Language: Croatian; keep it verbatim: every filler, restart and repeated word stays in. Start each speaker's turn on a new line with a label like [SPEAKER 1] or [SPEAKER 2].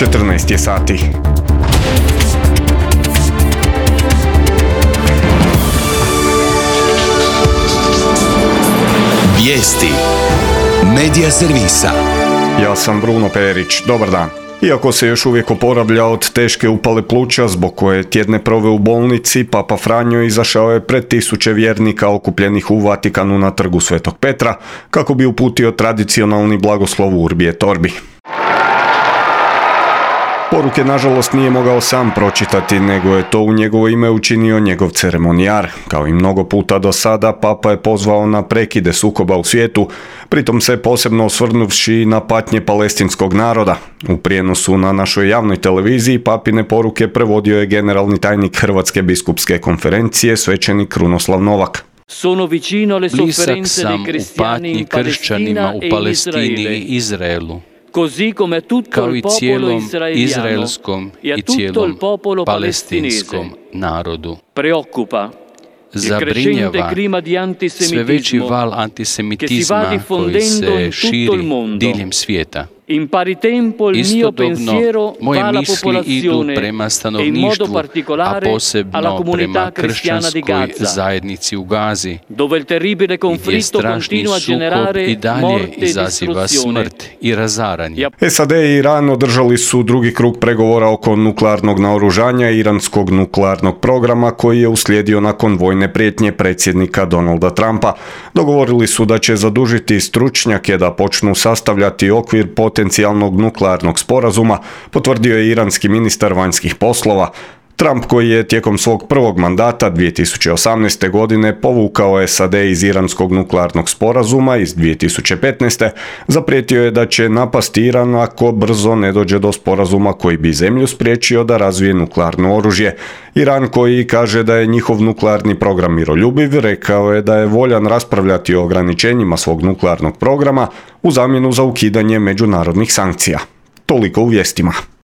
[SPEAKER 1] četrnaest je sati.
[SPEAKER 2] Vijesti Medija servisa.
[SPEAKER 1] Ja sam Bruno Perić, dobar dan. Iako se još uvijek oporavlja od teške upale pluća zbog koje je tjedne proveo u bolnici, Papa Franjo izašao je pred tisuće vjernika okupljenih u Vatikanu na trgu Svetog Petra kako bi uputio tradicionalni blagoslov Urbi et Orbi. Poruke, nažalost, nije mogao sam pročitati, nego je to u njegovo ime učinio njegov ceremonijar. Kao i mnogo puta do sada, Papa je pozvao na prekide sukoba u svijetu, pritom se posebno osvrnuvši na patnje palestinskog naroda. U prijenosu na našoj javnoj televiziji Papine poruke prevodio je generalni tajnik Hrvatske biskupske konferencije, svećenik Krunoslav Novak.
[SPEAKER 3] Blizak sam u patnji kršćanima u Palestini i Izraelu, kao i cijelom izraelskom i cijelom palestinskom narodu. Zabrinjava sve veći val antisemitizma koji se širi diljem svijeta. Istodobno, moje misli idu prema stanovništvu, a posebno prema kršćanskoj zajednici u Gazi, gdje strašni sukob i dalje izaziva smrt i razaranje.
[SPEAKER 1] S A D i Iran održali su drugi krug pregovora oko nuklearnog naoružanja i iranskog nuklearnog programa koji je uslijedio nakon vojne prijetnje predsjednika Donalda Trumpa. Dogovorili su da će zadužiti stručnjake da počnu sastavljati okvir potencijalnog nuklearnog sporazuma, potvrdio je iranski ministar vanjskih poslova. Trump, koji je tijekom svog prvog mandata dvije tisuće osamnaeste. godine povukao S A D iz iranskog nuklearnog sporazuma iz dvije tisuće petnaeste. zaprijetio je da će napasti Iran ako brzo ne dođe do sporazuma koji bi zemlju spriječio da razvije nuklearno oružje. Iran, koji kaže da je njihov nuklearni program miroljubiv, rekao je da je voljan raspravljati o ograničenjima svog nuklearnog programa u zamjenu za ukidanje međunarodnih sankcija. Toliko u vijestima.